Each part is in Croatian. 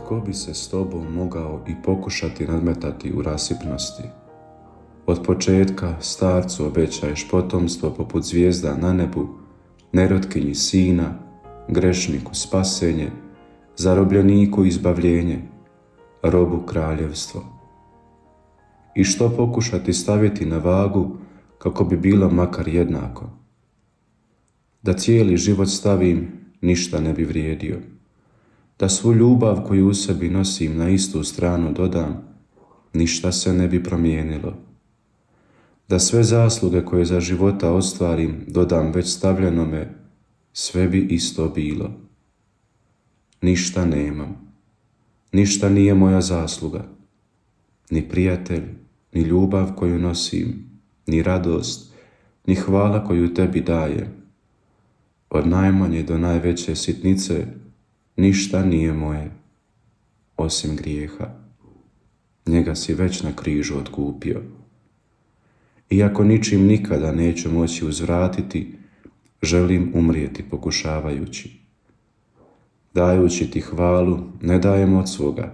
Tko bi se s tobom mogao i pokušati nadmetati u rasipnosti? Od početka starcu obećaješ potomstvo poput zvijezda na nebu, nerotkinji sina, grešniku spasenje, zarobljeniku izbavljenje, robu kraljevstvo. I što pokušati staviti na vagu kako bi bilo makar jednako? Da cijeli život stavim, ništa ne bi vrijedio. Da svu ljubav koju u sebi nosim na istu stranu dodam, ništa se ne bi promijenilo. Da sve zasluge koje za života ostvarim dodam već stavljenome, sve bi isto bilo. Ništa nemam. Ništa nije moja zasluga. Ni prijatelj, ni ljubav koju nosim, ni radost, ni hvala koju tebi dajem. Od najmanje do najveće sitnice ništa nije moje, osim grijeha. Njega si već na križu otkupio. Iako ničim nikada neću moći uzvratiti, želim umrijeti pokušavajući. Dajući ti hvalu, ne dajem od svoga,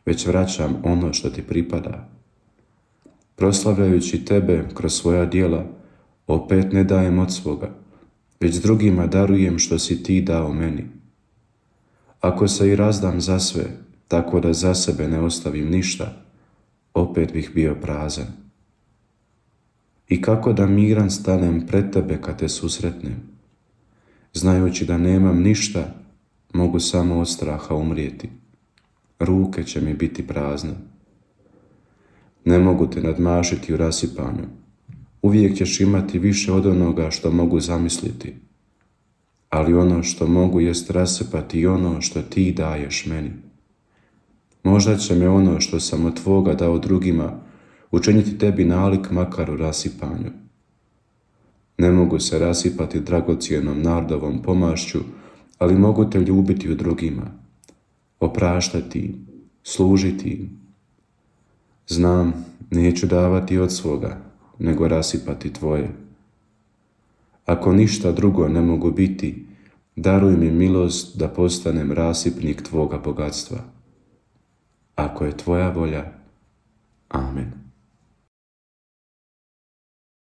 već vraćam ono što ti pripada. Proslavljajući tebe kroz svoja djela, opet ne dajem od svoga, već drugima darujem što si ti dao meni. Ako se i razdam za sve, tako da za sebe ne ostavim ništa, opet bih bio prazan. I kako da miran stanem pred tebe kad te susretnem? Znajući da nemam ništa, mogu samo od straha umrijeti. Ruke će mi biti prazne. Ne mogu te nadmašiti u rasipanju. Uvijek ćeš imati više od onoga što mogu zamisliti. Ali ono što mogu jest rasipati i ono što ti daješ meni. Možda će me ono što sam od tvoga dao drugima učiniti tebi nalik makar u rasipanju. Ne mogu se rasipati dragocjenom nardovom pomašću, ali mogu te ljubiti u drugima, opraštati im, služiti im. Znam, neću davati od svoga, nego rasipati tvoje. Ako ništa drugo ne mogu biti, daruj mi milost da postanem rasipnik tvoga bogatstva. Ako je tvoja volja, amen.